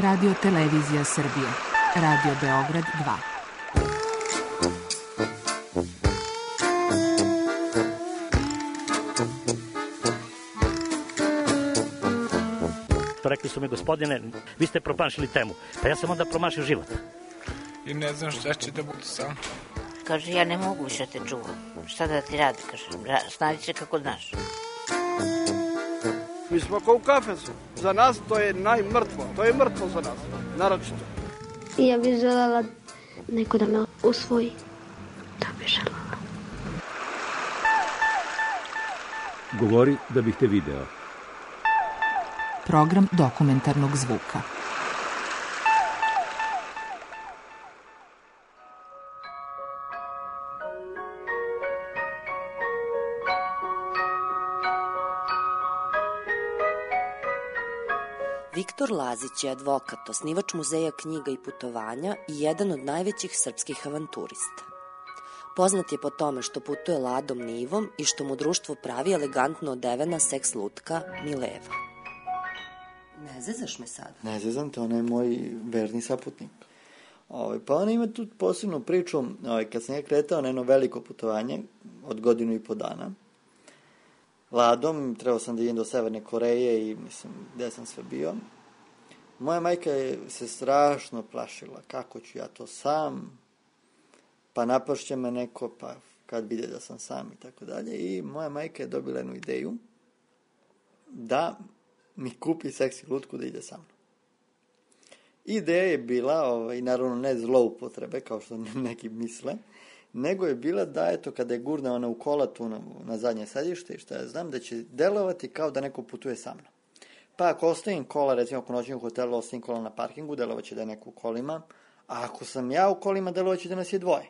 Radio Televizija Srbije. Radio Beograd 2. Rekli su mi, gospodine, vi ste promašili temu. Pa ja sam onda promašio život. I ne znam šta će da bude sam. Kaže, ja ne mogu više te čuvam. Šta da ti radi, kaže, snađi se kako znaš. Mi smo kao u kafesu. Za nas to je najmrtvo. To je mrtvo za nas, naročito. I ja bih želela neko da me usvoji. Da bih želela. Govori da bih te video. Program dokumentarnog zvuka. Viktor Lazić je advokat, osnivač muzeja knjiga i putovanja i jedan od najvećih srpskih avanturista. Poznat je po tome što putuje Ladom Nivom i što mu društvo pravi elegantno odevena seks lutka Mileva. Ne zezaš me sad? Ne zezam te, ona je moj verni saputnik. Pa ona ima tu posebnu priču, kad sam ja kretao na jedno veliko putovanje od 1.5 godina, Ladom, trebao sam da idem do Severne Koreje i mislim, gde sam sve bio. Moja majka je se strašno plašila, kako ću ja to sam, pa napašće me neko, pa kad vide da sam sam i tako dalje. I moja majka je dobila jednu ideju da mi kupi seksi lutku da ide sa mnom. Ideja je bila, i naravno ne zloupotrebe, kao što neki misle, nego je bila da, eto, kada je gurne ona u kola tu na zadnje sedište i šta ja znam, da će delovati kao da neko putuje sa mnom. Pa ako ostavim kola, recimo ako noćim u hotelu, ostavim kola na parkingu, delovaće da je neko u kolima, a ako sam ja u kolima, delovaće da nas je dvoje.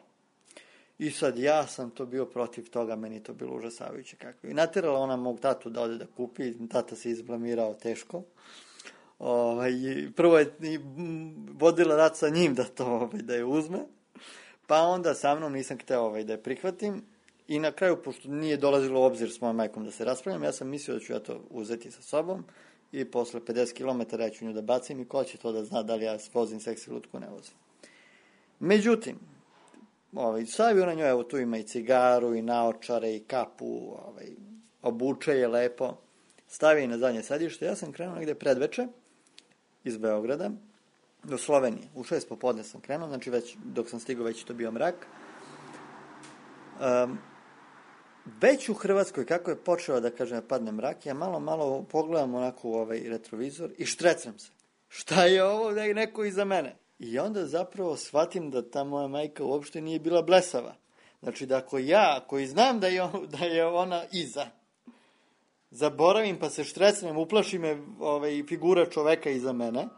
I sad ja sam to bio protiv toga, meni to bilo užasavajuće kakvo. I naterala ona mog tatu da ode da kupi, tata se izblamirao teško. Prvo je vodila rat sa njim da to da je uzme, pa onda sa mnom nisam hteo da je prihvatim i na kraju, pošto nije dolazilo u obzir s mojom majkom da se raspravljam, ja sam mislio da ću ja to uzeti sa sobom i posle 50 km ja ću nju da bacim i ko će to da zna da li ja vozim seksi lutku, ne vozim. Međutim, stavio na njoj, evo tu ima i cigaru i naočare i kapu, obuče je lepo, stavio je na zadnje sedište, ja sam krenuo negde predveče iz Beograda do Slovenije. U 6 popodne sam krenuo, znači već dok sam stigao već je to bio mrak. Već u Hrvatskoj, kako je počeo da kažem padne mrak, ja malo pogledam onako u retrovizor i štrecam se. Šta je ovo da je neko iza mene? I onda zapravo shvatim da ta moja majka uopšte nije bila blesava. Znači da ako ja, koji znam da je ona iza, zaboravim pa se štrecnem, uplaši me figura čoveka iza mene,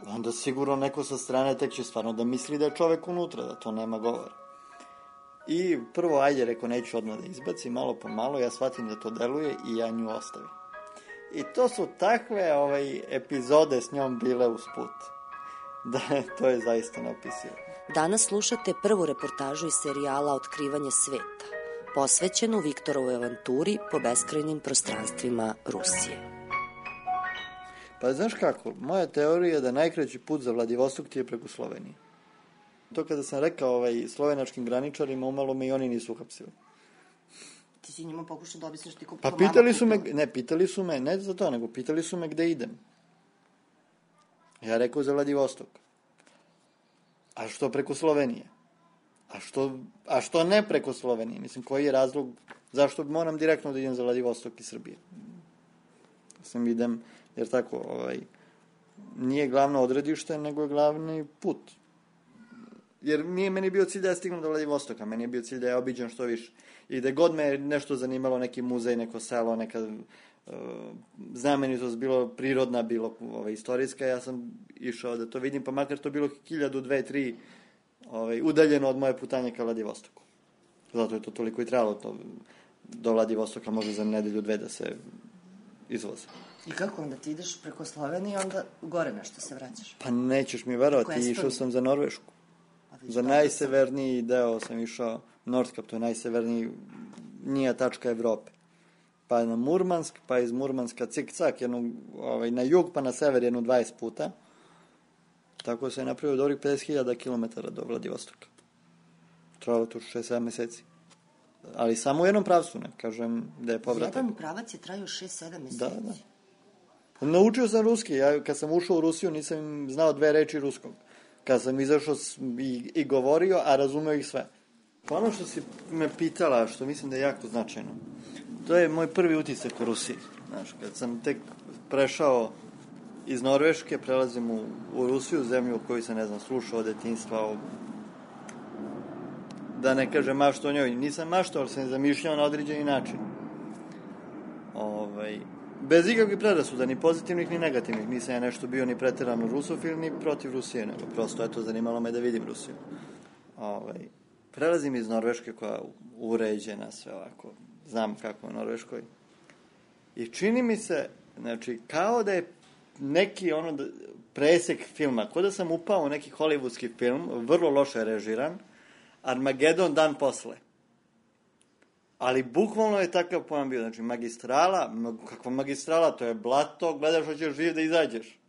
onda sigurno neko sa strane tek će stvarno da misli da je čovek unutra, da to nema govora. I prvo, ajde, reko, neću odmah da izbacim, malo po malo, ja shvatim da to deluje i ja nju ostavim. I to su takve epizode s njom bile usput. Da, to je zaista neopisivo. Danas slušate prvu reportažu iz serijala Otkrivanje sveta, posvećenu Viktorovoj avanturi po beskrajnim prostranstvima Rusije. Pa znaš kako, moja teorija je da najkraći put za Vladivostok ti je preko Slovenije. To kada sam rekao slovenačkim graničarima, umalo me i oni nisu uhapsili. Ti si njima pokušao da objasniš ti Pa pitali su me, ne za to, nego pitali su me gde idem. Ja rekao za Vladivostok. A što preko Slovenije? A što ne preko Slovenije? Mislim, koji je razlog, zašto moram direktno da idem za Vladivostok iz Srbije? Sam idem, jer tako, nije glavno odredište, nego je glavni put. Jer nije meni bio cilj da ja stignem do Vladivostoka, meni je bio cilj da ja obiđem što više. I da god me nešto zanimalo, neki muzej, neko selo, neka znamenitost, bilo prirodna, bilo istorijska, ja sam išao da to vidim, pa makar to bilo 1000, 2, 3 udaljeno od moje putanje ka Vladivostoku. Zato je to toliko i trebalo, do Vladivostoka može za nedelju, 2 da se izvoze. I kako onda ti ideš preko Slovenije, onda gore nešto se vraćaš? Pa nećeš mi verovati, išao sam za Norvešku. Za najseverniji deo sam išao, Nordkap, to je najsevernija tačka Evrope. pa na Murmansk, pa iz Murmanska cik-cak, na jug, pa na sever 20 puta. Tako se je napravio dobrih 50.000 km do Vladivostoka. Trajalo to 6-7 meseci. Ali samo u jednom pravcu, ne kažem da je povratak. Jedan pravac je trajao 6-7 meseci. Da. Naučio sam ruski. Ja kad sam ušao u Rusiju nisam znao 2 reči ruskog. Kad sam izašao i govorio, a razumeo ih sve. Pa ono što si me pitala, što mislim da je jako značajno, to je moj prvi utisak u Rusiji. Znaš, kad sam tek prešao iz Norveške, prelazim u Rusiju, zemlju o kojoj sam, ne znam, slušao od detinjstva, da ne kažem mašto o njoj. Nisam maštao, ali sam zamišljao na određeni način. Bez ikakvih predrasuda, ni pozitivnih, ni negativnih. Nisam ja nešto bio ni preterano rusofil, ni protiv Rusije, nego prosto, zanimalo me da vidim Rusiju. Prelazim iz Norveške koja je uređena, sve ovako, znam kako je u Norveškoj. I čini mi se, znači, kao da je neki presek filma, kao da sam upao u neki hollywoodski film, vrlo loše režiran, Armagedon dan posle. Ali bukvalno je takav pojam bio, znači magistrala, kakva magistrala, to je blato, gledaš hoćeš živ da izađeš.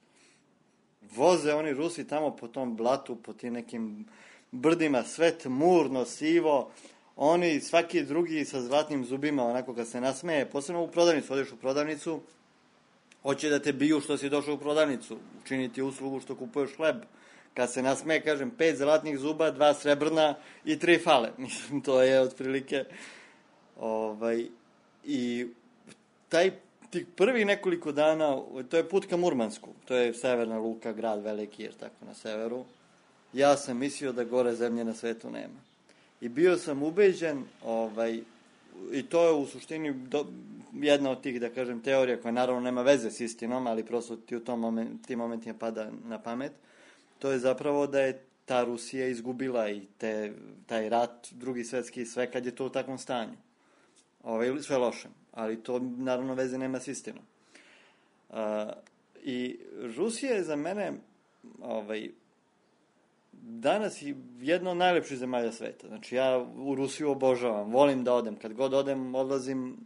Voze oni Rusi tamo po tom blatu, po tim nekim brdima, sve tmurno, sivo, oni svaki drugi sa zlatnim zubima, onako kad se nasmeje, posebno u prodavnicu, odeš u prodavnicu, hoće da te biju što si došao u prodavnicu, učiniti uslugu što kupuješ hleb. Kad se nasmeje, kažem, 5 zlatnih zuba, 2 srebrna i 3 fale. Mislim, to je otprilike. I tih prvih nekoliko dana, to je put ka Murmansku, to je severna luka, grad veliki, jer tako na severu. Ja sam mislio da gore zemlje na svetu nema. I bio sam ubeđen, i to je u suštini jedna od tih, da kažem, teorija koja naravno nema veze s istinom, ali prosto ti u tim momentima pada na pamet. To je zapravo da je ta Rusija izgubila i taj rat, drugi svetski i sve, kad je to u takvom stanju. Sve loše, ali to naravno veze nema s istinom. I Rusija je za mene danas jedna od najlepših zemalja sveta. Znači ja u Rusiju obožavam, volim da odem. Kad god odem, odlazim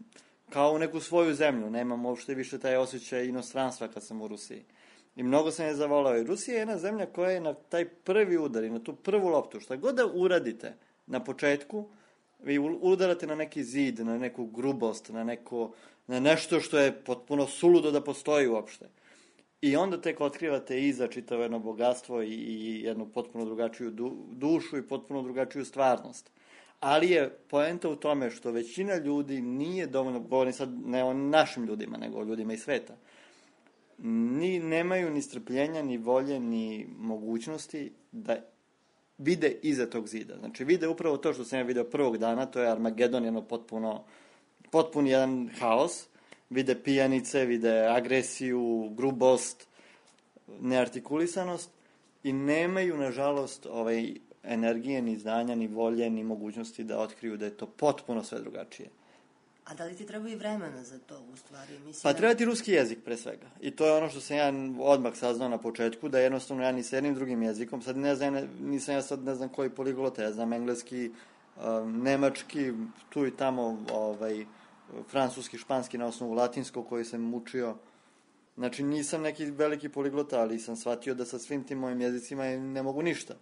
kao u neku svoju zemlju. Nemam uopšte više taj osjećaj inostranstva kad sam u Rusiji. I mnogo sam je zavolao. I Rusija je jedna zemlja koja je na taj prvi udar i na tu prvu loptu, šta god da uradite na početku, vi udarate na neki zid, na neku grubost, na nešto što je potpuno suludo da postoji uopšte. I onda tek otkrivate iza čitavo jedno bogatstvo i jednu potpuno drugačiju dušu i potpuno drugačiju stvarnost. Ali je poenta u tome što većina ljudi nije dovoljno, govorim sad ne o našim ljudima, nego o ljudima iz sveta, nemaju ni strpljenja, ni volje, ni mogućnosti da vide iza tog zida. Znači vide upravo to što sam ja video prvog dana, to je Armagedon, jedno potpun jedan haos. Vide pijanice, vide agresiju, grubost, neartikulisanost i nemaju, nažalost, energije, ni znanja, ni volje, ni mogućnosti da otkriju da je to potpuno sve drugačije. A da li ti treba i vremena za to, u stvari? Pa treba ti ruski jezik, pre svega. I to je ono što sam ja odmah saznao na početku, da jednostavno ja ni s jednim drugim jezikom, sad nisam ja sad ne znam koji poliglota, ja znam engleski, nemački, tu i tamo, francuski, španski na osnovu latinskog koji sam učio. Znači nisam neki veliki poliglota, ali sam shvatio da sa svim tim mojim jezicima ne mogu ništa.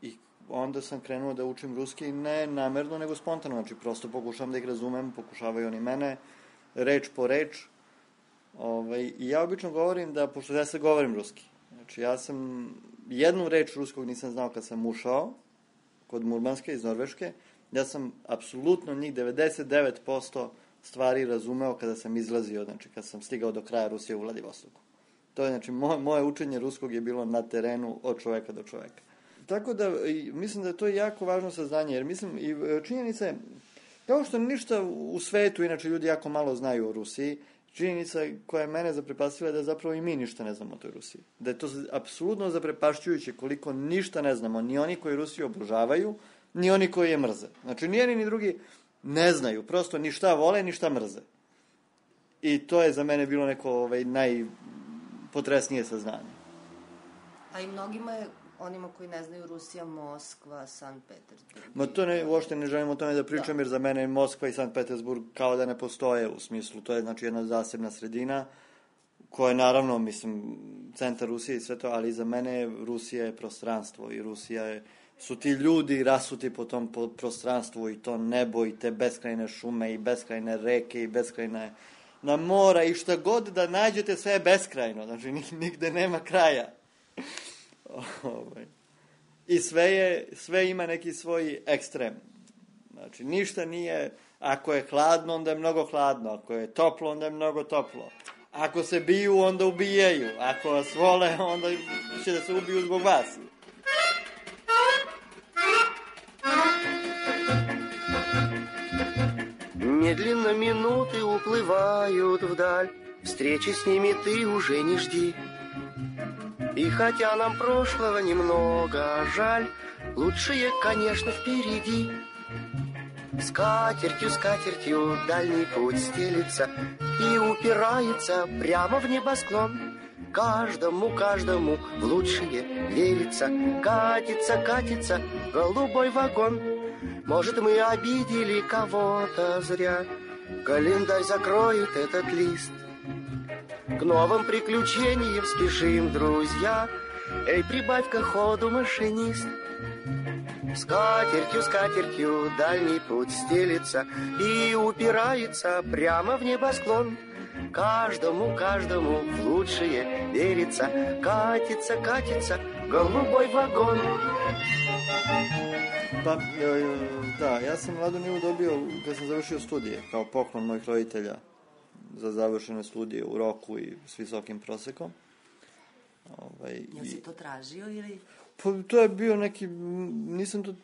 I onda sam krenuo da učim ruski ne namerno, nego spontano. Znači prosto pokušavam da ih razumem, pokušavaju oni mene, reč po reč. I ja obično govorim da, pošto ja sad govorim ruski, znači ja sam jednu reč ruskog nisam znao kad sam ušao kod Murmanske iz Norveške. Ja sam apsolutno njih 99% stvari razumeo kada sam izlazio, znači kad sam stigao do kraja Rusije u Vladivostoku. To je, znači, moje učenje ruskog je bilo na terenu od čoveka do čoveka. Tako da, mislim da je to jako važno saznanje, jer mislim, i činjenica je, kao što ništa u svetu, inače ljudi jako malo znaju o Rusiji, činjenica koja je mene zaprepastila je da zapravo i mi ništa ne znamo o toj Rusiji. Da je to apsolutno zaprepašćujuće koliko ništa ne znamo, ni oni koji Rusiju obožavaju, ni oni koji je mrze. Znači, ni jedni ni drugi ne znaju, prosto ni šta vole, ni šta mrze. I to je za mene bilo neko najpotresnije saznanje. A i mnogima je onima koji ne znaju, Rusija, Moskva, Sankt Petersburg. Ma to uopšte ne želim o tome da pričam, jer za mene Moskva i Sankt Petersburg kao da ne postoje u smislu. To je znači jedna zasebna sredina koja je naravno, mislim, centar Rusije i sve to, ali za mene Rusija je prostranstvo i Rusija su ti ljudi rasuti po tom prostranstvu i to nebo i te beskrajne šume i beskrajne reke i beskrajne na mora i šta god da nađete, sve je beskrajno, znači nigde nema kraja. I sve ima neki svoj ekstrem. Znači, ništa nije, ako je hladno, onda je mnogo hladno, ako je toplo, onda je mnogo toplo. Ako se biju, onda ubijaju, ako vas vole, onda će da se ubiju zbog vas. Медленно минуты уплывают вдаль, встречи с ними ты уже не жди. И хотя нам прошлого немного жаль, лучшее, конечно, впереди. Скатертью, скатертью дальний путь стелится и упирается прямо в небосклон. Каждому, каждому в лучшее верится, катится, катится голубой вагон. Может, мы обидели кого-то зря, календарь закроет этот лист. К новым приключениям спешим, друзья, эй, прибавь-ка ходу, машинист. Скатертью, скатертью дальний путь стелится и упирается прямо в небосклон. Каждому, каждому в лучшее верится, катится, катится голубой вагон. Pa, da, ja sam Ladu Nivu dobio kad sam završio studije, kao poklon mojih roditelja za završene studije u roku i s visokim prosekom. Jel si to tražio ili... Pa, to je bio neki, nisam to,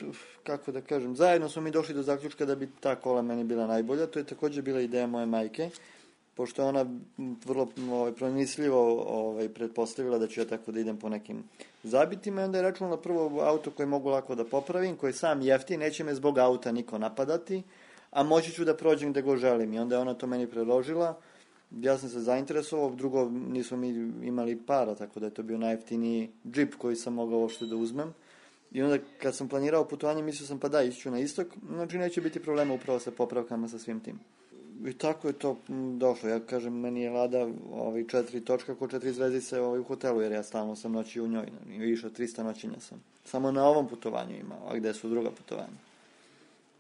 kako da kažem, zajedno smo mi došli do zaključka da bi ta kola meni bila najbolja, to je takođe bila ideja moje majke, pošto je ona vrlo promisljivo pretpostavila da ću ja tako da idem po nekim zabitima i onda je računala prvo auto koje mogu lako da popravim, koji je sam jeftin, neće me zbog auta niko napadati, a moći ću da prođem gde go želim i onda je ona to meni predložila, ja sam se zainteresovao, drugo nismo mi imali para, tako da je to bio najjeftiniji džip koji sam mogao uopšte da uzmem i onda kad sam planirao putovanje mislio sam pa da, ići ću na istok, znači neće biti problema upravo sa popravkama sa svim tim. I tako je to došlo. Ja kažem, meni je Lada 4 točka ko 4 zvezdice u hotelu, jer ja stalno sam noći u njoj. Više od 300 noćenja sam. Samo na ovom putovanju imao, a gde su druga putovanja.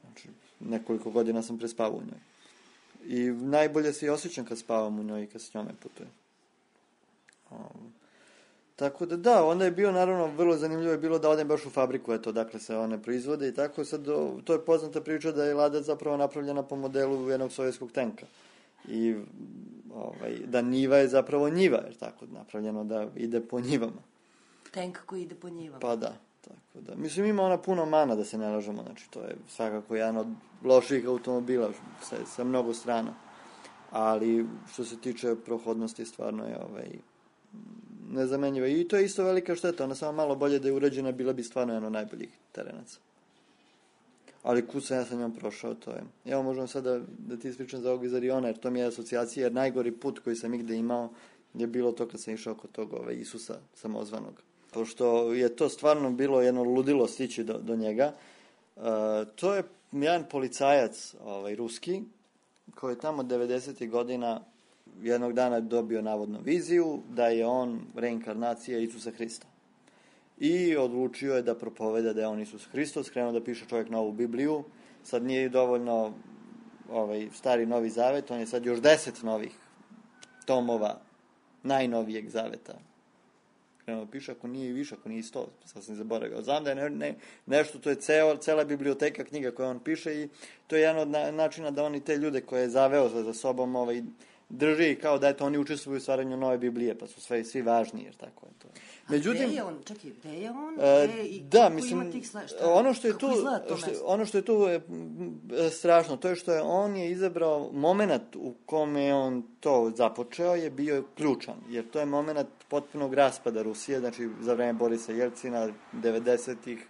Znači, nekoliko godina sam prespavao u njoj. I najbolje se i osjećam kad spavam u njoj i kad s njome putujem. Tako da, onda je bio, naravno, vrlo zanimljivo je bilo da odem baš u fabriku, eto, dakle se one proizvode i tako, sad, to je poznata priča da je Lada zapravo napravljena po modelu jednog sovjetskog tenka. I, da njiva je zapravo njiva, jer tako, napravljeno da ide po njivama. Tenk koji ide po njivama. Pa da, tako da. Mislim, ima ona puno mana, da se ne lažemo, znači, to je svakako jedan od loših automobila sa mnogo strana. Ali, što se tiče prohodnosti, stvarno je, nezamenjiva. I to je isto velika šteta, ona samo malo bolje da je uređena, bila bi stvarno jedno najboljih terenaca. Ali kud sam ja sa njom prošao, to je... Evo, možemo sad da ti ispričam za ovog iz Ariona, jer to mi je asocijacija, jer najgori put koji sam igde imao je bilo to kad sam išao kod tog Isusa samozvanog. Pošto je to stvarno bilo jedno ludilo stići do njega. To je jedan policajac ruski, koji je tamo 90. godina jednog dana dobio navodno viziju da je on reinkarnacija Isusa Hrista. I odlučio je da propoveda da je on Isus Hristos, krenuo da piše čovjek novu Bibliju. Sad nije dovoljno stari Novi Zavet, on je sad još 10 novih tomova najnovijeg zaveta. Krenuo da piše, ako nije i više, ako nije 100, sad sam zaboravio. Znam da je nešto, to je cela biblioteka knjiga koje on piše i to je jedan od načina da on i te ljude koje je zaveo za sobom drži kao da oni učestvuju u stvaranju nove Biblije, pa su svi važni, jer tako je to. Međutim, a gde je on? Čekaj, gde je on? Da, mislim, ono što je tu strašno, to je što je on je izabrao moment u kome je on to započeo, je bio ključan, jer to je moment potpunog raspada Rusije, znači za vreme Borisa Jelcina, 90-ih,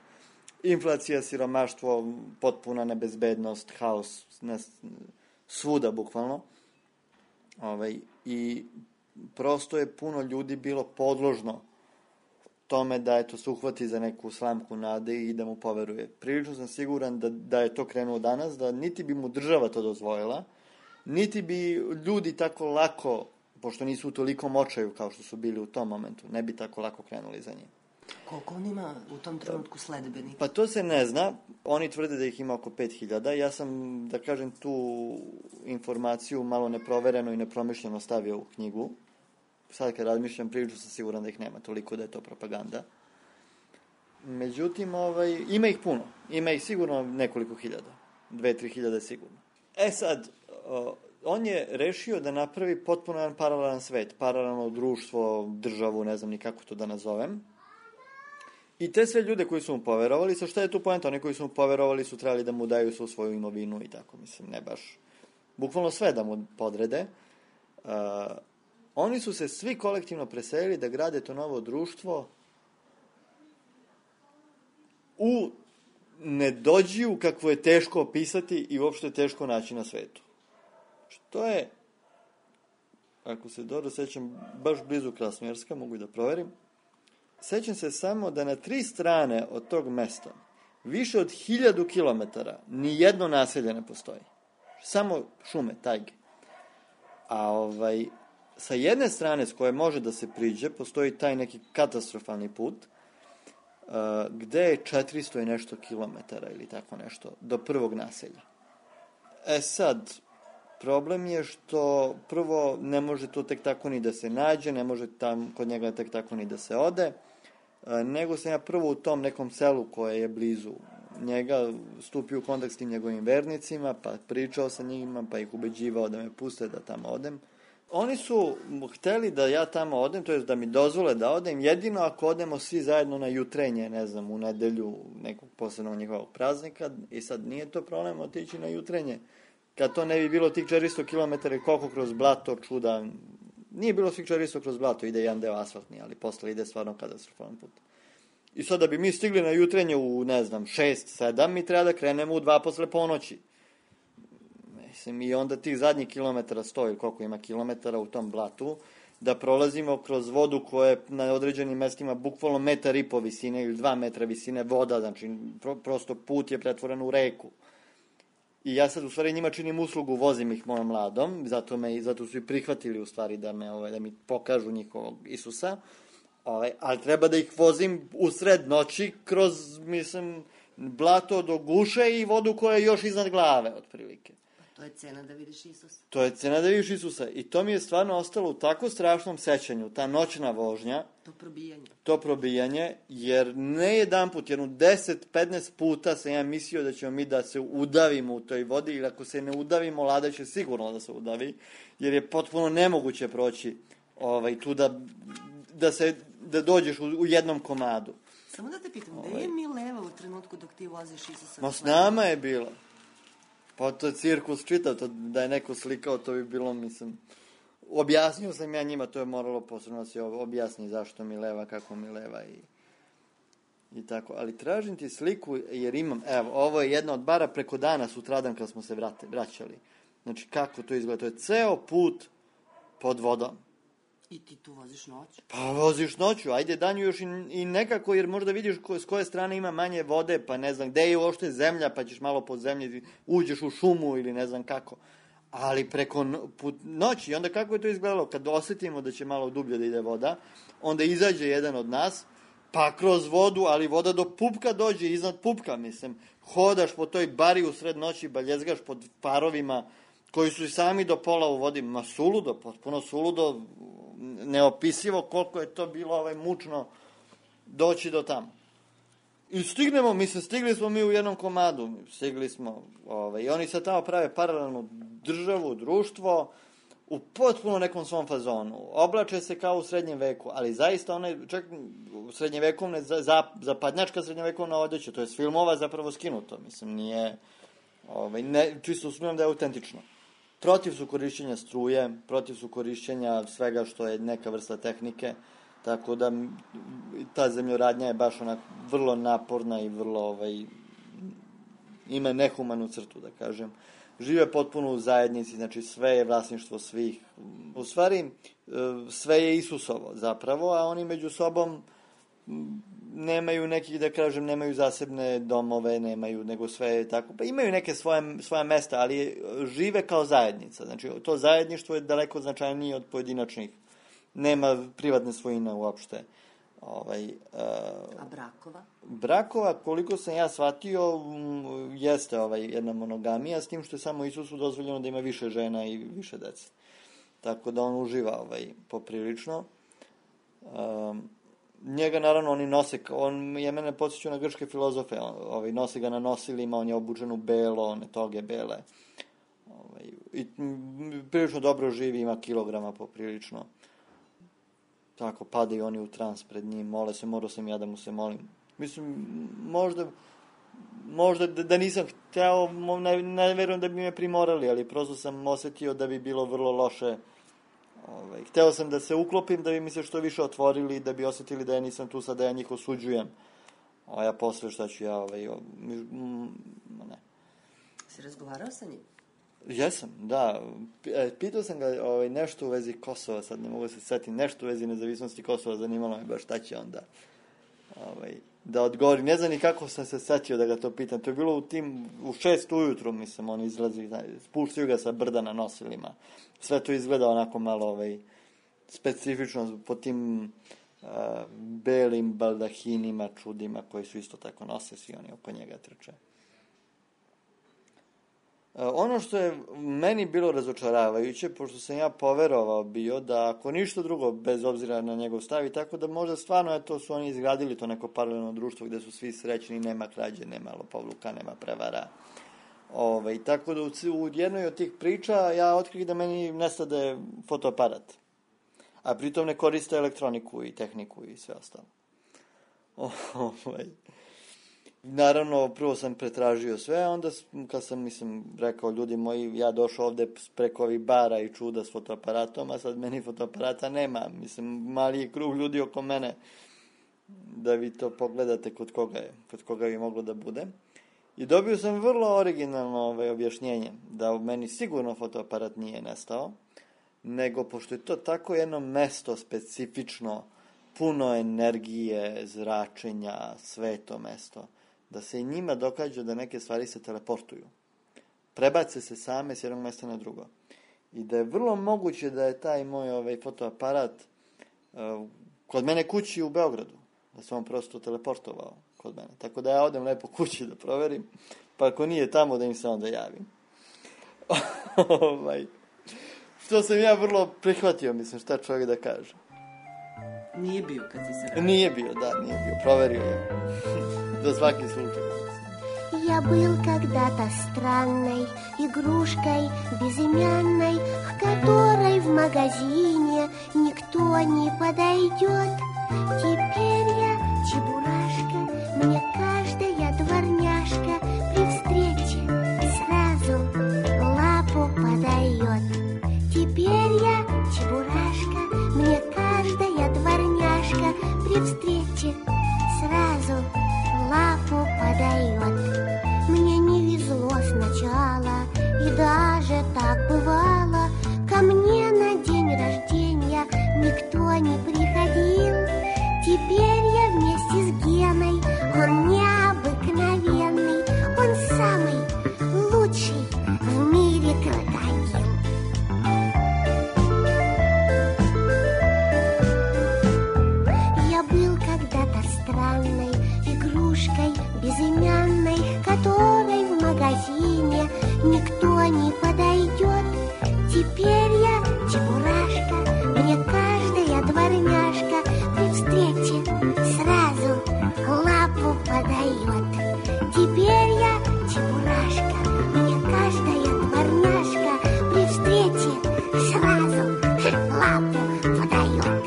inflacija, siromaštvo, potpuna nebezbednost, haos, svuda bukvalno. I prosto je puno ljudi bilo podložno tome da se uhvati za neku slamku nade i da mu poveruje. Prilično sam siguran da je to krenuo danas, da niti bi mu država to dozvojila, niti bi ljudi tako lako, pošto nisu u tolikom očaju kao što su bili u tom momentu, ne bi tako lako krenuli za njim. Koliko on ima u tom trenutku sledbenika? Pa to se ne zna. Oni tvrde da ih ima oko 5000. Ja sam, da kažem, tu informaciju malo neprovereno i nepromišljeno stavio u knjigu. Sad kad razmišljam, prilično sam siguran da ih nema toliko, da je to propaganda. Međutim, ima ih puno. Ima ih sigurno nekoliko hiljada. 2-3 hiljade sigurno. Sad, on je rešio da napravi potpuno jedan paralelan svet, paralelno društvo, državu, ne znam ni kako to da nazovem. I te sve ljude koji su mu poverovali, sa šta je tu poenta? Oni koji su mu poverovali su trebali da mu daju svu svoju imovinu i tako, mislim, ne baš. Bukvalno sve da mu podrede. Oni su se svi kolektivno preselili da grade to novo društvo u nedođiju kakvo je teško opisati i uopšte teško naći na svetu. Što je, ako se dobro sećam, baš blizu Krasnojarska, mogu i da proverim. Sećam se samo da na 3 strane od tog mesta, više od 1000 kilometara, ni jedno naselje ne postoji. Samo šume, tajge. A sa jedne strane s koje može da se priđe, postoji taj neki katastrofalni put, gde je 400 i nešto kilometara ili tako nešto, do prvog naselja. Sad, problem je što prvo ne može to tek tako ni da se nađe, ne može tam kod njega tek tako ni da se ode, nego sam ja prvo u tom nekom selu koje je blizu njega stupio u kontakt s tim njegovim vernicima, pa pričao sa njima, pa ih ubeđivao da me puste da tamo odem. Oni su hteli da ja tamo odem, to je da mi dozvole da odem, jedino ako odemo svi zajedno na jutrenje, ne znam, u nedelju nekog posebnog njihovog praznika, i sad nije to problem otići na jutrenje. Kad to ne bi bilo tih 400 km i koliko kroz blato, čuda, nije bilo svih 400 kroz blato, ide jedan deo asfaltni, ali posle ide stvarno katastrofalan put. I sad da bi mi stigli na jutrenje u, ne znam, 6-7, mi treba da krenemo u 2 posle ponoći. Mislim, i onda tih zadnjih kilometara 100 ili koliko ima kilometara u tom blatu, da prolazimo kroz vodu koja je na određenim mestima bukvalno 1,5 m visine ili 2 metra visine voda, znači prosto put je pretvoren u reku. I ja sad u stvari njima činim uslugu, vozim ih mojom mladom, zato su i prihvatili u stvari da mi pokažu njihovog Isusa, ali treba da ih vozim u sred noći kroz, mislim, blato do guše i vodu koja je još iznad glave, otprilike. To je cena da vidiš Isusa. To je cena da vidiš Isusa. I to mi je stvarno ostalo u tako strašnom sećanju, ta noćna vožnja. To probijanje, jer ne jedanput, jedno 10-15 puta sam ja mislio da ćemo mi da se udavimo u toj vodi, ili ako se ne udavimo, Lada će sigurno da se udavi, jer je potpuno nemoguće proći tu da dođeš u jednom komadu. Samo da te pitam, gde je Mileva u trenutku dok ti voziš Isusa? Ma s nama je bila. Pa to je cirkus čitav, da je neko slikao, to bi bilo, mislim, objasnio sam ja njima, to je moralo posebno da se objasni zašto Mileva, kako Mileva i tako. Ali tražim ti sliku, jer imam, evo, ovo je jedna od bara preko dana, sutradan kad smo se vraćali. Znači, kako to izgleda? To je ceo put pod vodom. I ti tu voziš noću? Pa voziš noću, ajde danju još i nekako, jer možda vidiš s koje strane ima manje vode, pa ne znam, gde je uopšte zemlja, pa ćeš malo pod zemlji, uđeš u šumu ili ne znam kako. Ali preko noći, onda kako je to izgledalo? Kad osetimo da će malo dublje da ide voda, onda izađe jedan od nas, pa kroz vodu, ali voda do pupka dođe, iznad pupka, mislim. Hodaš po toj bari u sred noći, baljezgaš pod parovima, koji su i sami do pola u vodi, ma suludo, potpuno suludo, neopisivo koliko je to bilo mučno doći do tamo. I stigli smo mi u jednom komadu, stigli smo, i oni sad tamo prave paralelnu državu, društvo, u potpuno nekom svom fazonu. Oblače se kao u srednjem veku, ali zaista čak u srednjevekovne, zapadnjačka srednjevekovna odeća, to je s filmova zapravo skinuto, mislim, nije, čisto sumnjam da je autentično. Protiv su korišćenja struje, protiv su korišćenja svega što je neka vrsta tehnike, tako da ta zemljoradnja je baš vrlo naporna i vrlo, ima nehumanu crtu, da kažem. Žive potpuno u zajednici, znači sve je vlasništvo svih. U stvari, sve je Isusovo zapravo, a oni među sobom nemaju nekih, da kažem, nemaju zasebne domove, nemaju, nego sve je tako. Pa imaju neke svoja mesta, ali žive kao zajednica. Znači, to zajedništvo je daleko značajnije od pojedinačnih. Nema privatne svojine uopšte. A brakova? Brakova, koliko sam ja shvatio, jeste jedna monogamija, s tim što je samo Isusu dozvoljeno da ima više žena i više dece. Tako da on uživa poprilično. Njega, naravno, oni nose, on je mene podsjećao na grčke filozofe, nose ga na nosilima, on je obučen u belo, one toge bele. I prilično dobro živi, ima kilograma poprilično. Tako, padaju oni u trans pred njim, mole se, morao sam ja da mu se molim. Mislim, možda da nisam hteo, ne verujem da bi me primorali, ali prosto sam osetio da bi bilo vrlo loše. Hteo sam da se uklopim, da bi mi se što više otvorili, da bi osetili da ja nisam tu sad, da ja njih osuđujem. A ja posle šta ću ja, ne. Si razgovarao sa njim? Jesam, da. Pitao sam ga nešto u vezi Kosova, sad ne mogu da se setim, nešto u vezi nezavisnosti Kosova, zanimalo me baš šta će onda da odgovori. Ne znam ni kako sam se setio da ga to pitam. To je bilo u 6 ujutru, mislim, on izlazi, spuštaju ga sa brda na nosilima. Sve to izgleda onako malo specifično po tim belim baldahinima, čudima koji su isto tako nose, svi oni oko njega trče. Ono što je meni bilo razočaravajuće, pošto sam ja poverovao bio da ako ništa drugo, bez obzira na njegov stav i tako, da možda stvarno su oni izgradili to neko paralelno društvo gde su svi srećni, nema krađe, nema lopovluka, nema prevara. Tako da u jednoj od tih priča ja otkrih da meni nestade fotoaparat, a pritom ne koriste elektroniku i tehniku i sve ostalo. Naravno, prvo sam pretražio sve, onda kad sam, rekao, ljudi moji, ja došao ovde preko ovih bara i čuda s fotoaparatom, a sad meni fotoaparata nema, mali je krug ljudi oko mene, da vi to pogledate kod koga bi moglo da bude. I dobio sam vrlo originalno objašnjenje, da u meni sigurno fotoaparat nije nestao, nego pošto je to tako jedno mesto specifično, puno energije, zračenja, sveto mesto, da se i njima događa da neke stvari se teleportuju. Prebace se same s jednog mesta na drugo. I da je vrlo moguće da je taj moj fotoaparat kod mene kući u Beogradu. Da se on prosto teleportovao kod mene. Tako da ja odem lepo kući da proverim. Pa ako nije tamo, da im se onda javim. Što sam ja vrlo prihvatio, šta čovjek da kaže. Nije bio kad si se vratio? Nije bio, proverio je. За всякий случай. Я был когда-то странной игрушкой безымянной, к которой в магазине никто не подойдет. Теперь я чебурашка, мне каждая дворняжка при встрече сразу лапу подает. Теперь я чебурашка, мне каждая дворняжка при встрече сразу лапу подает. Мне не везло сначала, и даже так бывало. Ко мне на день рождения никто не приходил. Теперь я вместе с Геной, он необыкновенный, он самый лучший в мире крокодил. Я был когда-то странной игрушкой безымянной, к которой в магазине никто не подойдет. Теперь я чебурашка, мне каждая дворняжка при встрече сразу лапу подает. Теперь я чебурашка, мне каждая дворняжка при встрече сразу лапу подает.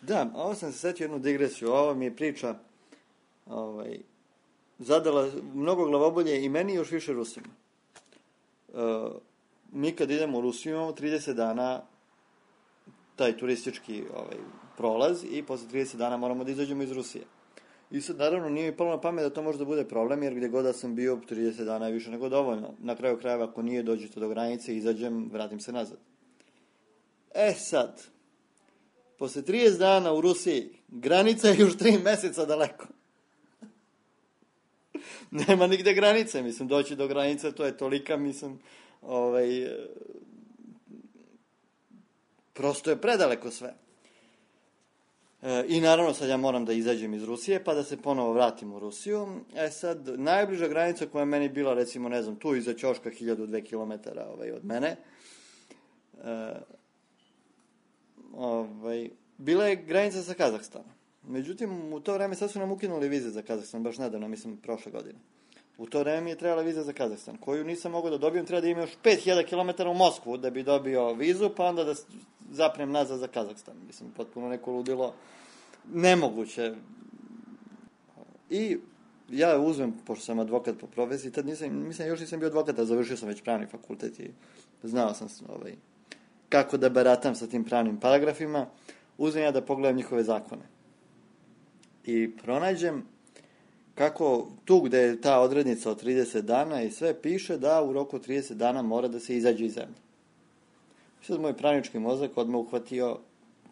Da, ovo sam se setio jednu digresiju. Ovo mi je priča zadala mnogo glavobolje i meni još više Rusima. Mi kad idemo u Rusiju imamo 30 dana taj turistički prolaz i posle 30 dana moramo da izađemo iz Rusije. I sad naravno nije mi palo na pamet da to može da bude problem, jer gdje god da sam bio 30 dana je više nego dovoljno. Na kraju krajeva ako nije, dođete do granice, izađem, vratim se nazad. Sad, posle 30 dana u Rusiji, granica je još 3 meseca daleko. Nema nigde granice, mislim, doći do granice, to je tolika, mislim, prosto je predaleko sve. I naravno sad ja moram da izađem iz Rusije, pa da se ponovo vratim u Rusiju. Sad, najbliža granica koja je meni bila, recimo, ne znam, tu iza ćoška 1002 kilometara od mene, bila je granica sa Kazahstanom. Međutim, u to vreme sad su nam ukinuli vize za Kazahstan, baš nedavno, mislim, prošle godine. U to vreme mi je trebala viza za Kazahstan, koju nisam mogao da dobijem, treba da imam još 5000 km u Moskvu da bi dobio vizu, pa onda da zapnem nazad za Kazahstan. Mislim, potpuno neko ludilo, nemoguće. I ja uzmem, pošto sam advokat po profesiji, tad još nisam bio advokat, a završio sam već pravni fakultet i znao sam kako da baratam sa tim pravnim paragrafima. Uzmem ja da pogledam njihove zakone. I pronađem kako tu gde je ta odrednica od 30 dana i sve piše da u roku od 30 dana mora da se izađe iz zemlje. Sad moj pravnički mozak odmah uhvatio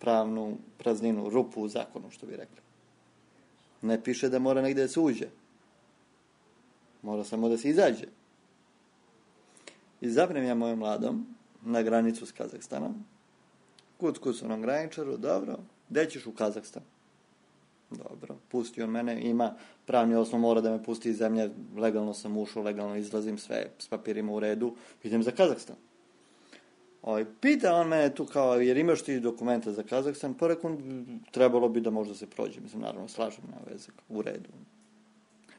pravnu prazninu, rupu u zakonu, što bi rekli. Ne piše da mora negde da se uđe. Mora samo da se izađe. I zapnem ja mojom mladom na granicu s Kazahstanom. Kuc onom graničaru, dobro, gde ćeš? U Kazahstan. Dobro, pusti on mene, ima pravni osnov, mora da me pusti iz zemlje, legalno sam ušao, legalno izlazim, sve s papirima u redu, idem za Kazahstan. Pita on mene tu kao, jer imaš ti dokumenta za Kazahstan, pa rekom, trebalo bi da možda se prođe, mislim, naravno, slažem na vezak, u redu.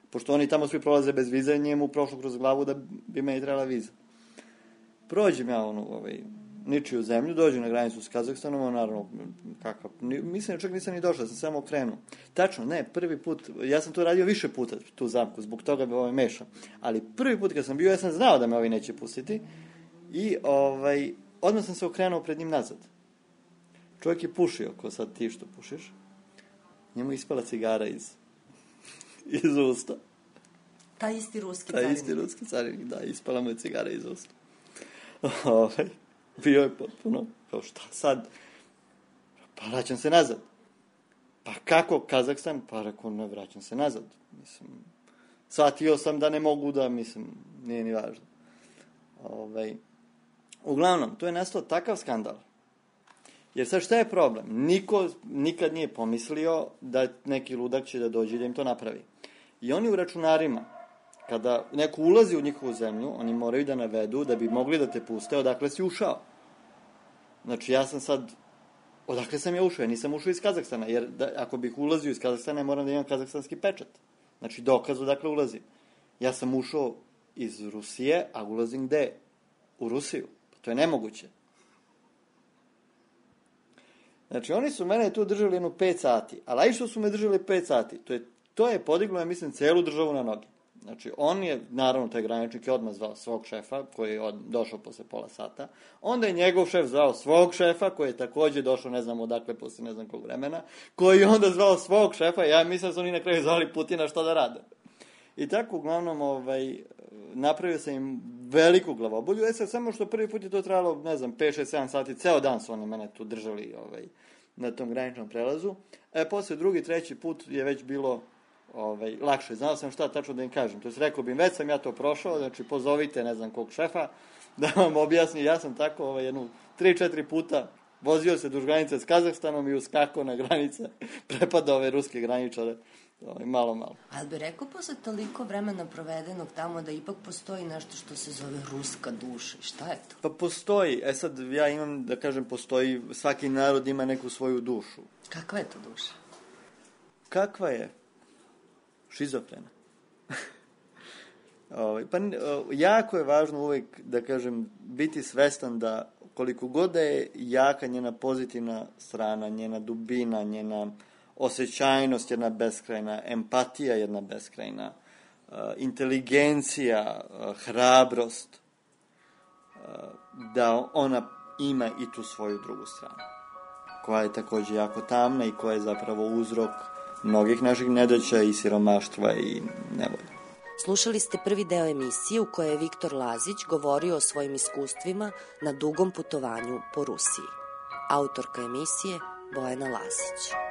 Pošto oni tamo svi prolaze bez vize, njemu prošlo kroz glavu da bi meni trebala viza. Prođem ja ničiju zemlju, dođem na granicu s Kazahstanom, naravno, kakav, mislim, čak nisam ni došao, sam samo okrenuo. Tačno, ne, prvi put, ja sam to radio više puta, tu zamku, zbog toga bi mešao, ali prvi put kad sam bio, ja sam znao da me ovi neće pustiti i odmah sam se okrenuo pred njim nazad. Čovjek je pušio, ko sad ti što pušiš, njemu ispala cigara iz usta. Taj isti ruski carinik, da, ispala mu je cigara iz usta. Bio je potpuno, kao šta sad? Pa vraćam se nazad. Pa kako Kazahstan? Pa rekao, ne, vraćam se nazad. Mislim, shvatio sam da ne mogu da, mislim, nije ni važno. Uglavnom, tu je nastao takav skandal. Jer sad šta je problem? Niko nikad nije pomislio da neki ludak će da dođe da im to napravi. I oni u računarima, kada neko ulazi u njihovu zemlju, oni moraju da navedu da bi mogli da te puste odakle si ušao. Znači, ja sam sad, odakle sam ja ušao? Ja nisam ušao iz Kazahstana, jer ako bih ulazio iz Kazahstana, ja moram da imam kazahstanski pečat. Znači, dokaz odakle ulazim. Ja sam ušao iz Rusije, a ulazim gde? U Rusiju. To je nemoguće. Znači, oni su mene tu držali jedno 5 sati, ali što su me držali 5 sati, to je podiglo, ja mislim, celu državu na noge. Znači, on je, naravno, taj graničnik je odmah zvao svog šefa, koji je došao posle pola sata. Onda je njegov šef zvao svog šefa, koji je takođe došao, ne znam odakle, posle ne znam kog vremena, koji je onda zvao svog šefa, ja mislim da su oni na kraju zvali Putina šta da rade. I tako, uglavnom, napravio sam im veliku glavobolju. Samo što prvi put je to trajalo, ne znam, 5, 6, 7 sati, ceo dan su oni mene tu držali na tom graničnom prelazu. Posle drugi, treći put je već bilo lakše. Znao sam šta tačno da im kažem. To je rekao bi im, već sam ja to prošao, znači pozovite ne znam kog šefa da vam objasni. Ja sam tako jednu 3-4 puta vozio se duž granice s Kazahstanom i uskakao na granice, prepadao ove ruske graničare. Malo. Ali bi rekao posle toliko vremena provedenog tamo da ipak postoji nešto što se zove ruska duša. Šta je to? Pa postoji. Sad ja imam da kažem postoji, svaki narod ima neku svoju dušu. Kakva je to duša? Kakva je? Šizofrena. Jako je važno uvek, da kažem, biti svestan da koliko god da je jaka njena pozitivna strana, njena dubina, njena osjećajnost jedna beskrajna, empatija jedna beskrajna, inteligencija, hrabrost, da ona ima i tu svoju drugu stranu, koja je takođe jako tamna i koja je zapravo uzrok mnogih naših nedaća i siromaštva i nevolja. Slušali ste prvi deo emisije u kojoj je Viktor Lazić govorio o svojim iskustvima na dugom putovanju po Rusiji. Autorka emisije Bojana Lasić.